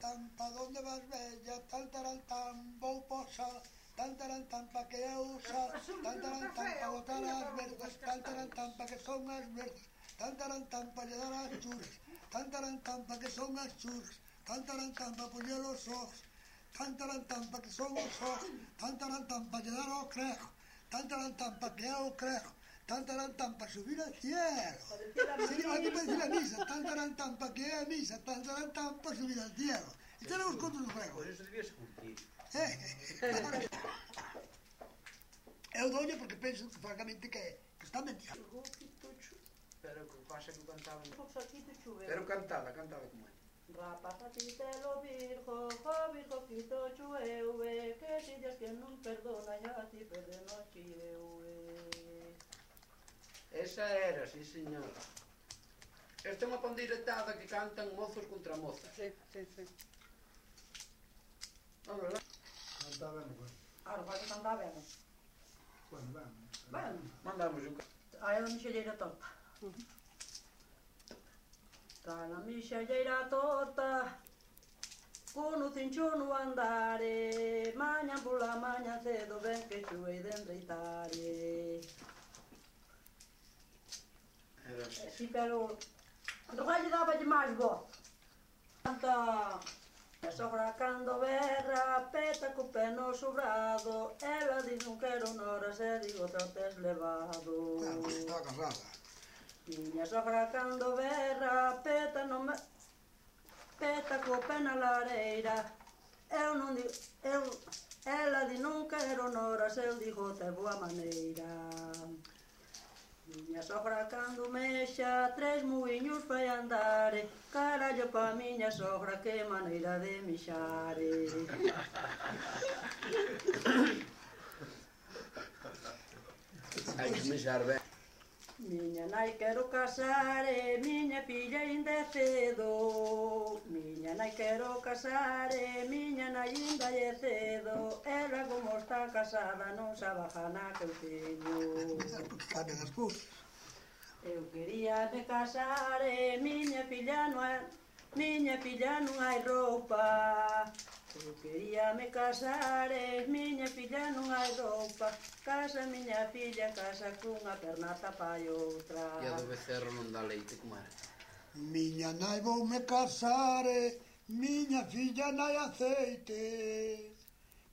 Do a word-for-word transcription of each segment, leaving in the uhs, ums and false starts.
tan, pa donde vas bella, tan taran tan, vou posar, tan taran tan, pa que eu usar, tan taran tan, pa botar as verdes, tan taran tan, pa que son as verdes, tan taran tan, pa lle dar as churras, tan taran tan, pa que son as churras, tan taran tan, pa poñer os ojos, tan taran tan, pa que son os ojos, tan taran tan, pa lle dar ao crejo, tan taran tan, pa que é o crejo, tan taran tan, pa subir al cielo. Sí, aquí para decir a misa, tan taran tan, pa que é a misa, tan taran tan, pa subir al cielo. E tenemos contra os gregos. Por eso debías cumplir. Eu doña porque penso, francamente, que está mentindo. Pero que pasa que cantaba... Pero Pero cantaba, cantaba como é. rapazatitelo virgo, oh virgo quito chueuve, que si Dios que non perdona ya ti perdono chieuve. Esa era, sí señor. Esta é unha pandiretada que cantan mozos contra mozas. Sí, sí, sí. Non, verdad? Cantábamos, pues. Ahora, vai que cantábamos. Bueno, vamos. Bueno, Mandamos un... aí a mixelleira torta. Trae la mixelleira torta, con o cincho no andare, mañan pola maña cedo ben que xuei de enreitare. Era así. Si, pero do gallo dáballe máis voz. Canta a sogra cando berra, peta co pé no sobrado, ela di non quero noras e digo te o tes levado. Claro, pues estaba casada. Miña sogra cando berra, peta no me... peta co pé na lareira, eu non digo, eu... ela di non quero noras, eu digo te boa maneira. Miña sogra cando mexa, tres muiños fai andare, carallo pa miña sogra, que maneira de mixare. Hai que mexar ben. Miña nai quero casare, miña filla ainda é cedo. Miña nai quero casare, miña nai ainda é cedo. Ela como está casada non sabe a gana que eu teño. Porque cambian as cousas. Eu quería me casare, miña filla non hai, miña filla non hai roupa. Eu quería me casare, miña filla non hai roupa. Casa miña filla, casa cunha perna tapa e outra. E a do becerro non dá leite, como era? Miña nai vou me casare, miña filla nai aceite.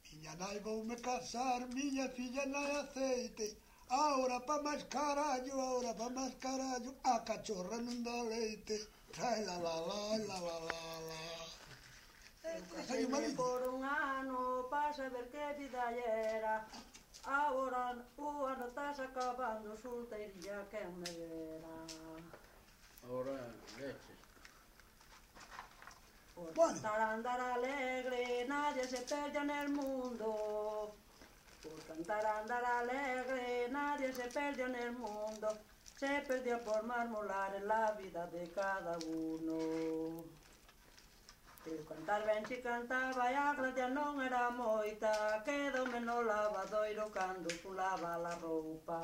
Miña nai vou me casar, miña filla nai aceite. Ahora pa máis carallo, ahora pa máis carallo, a cachorra non dá leite. Trae la la la, la la la la. Eu casei-me por un ano, pa saber que vida era. Agora o ano estás acabando, solteirilla quen me vera. Ahora, leches. Por Bueno. cantar andar alegre, nadie se perde en el mundo. Por cantar andar alegre, nadie se perdió en el mundo. Se perdió por marmolar en la vida de cada uno. Eu cantar ben si cantaba e a gracia non era moita, quedoume no lavadoiro cando pulaba la roupa.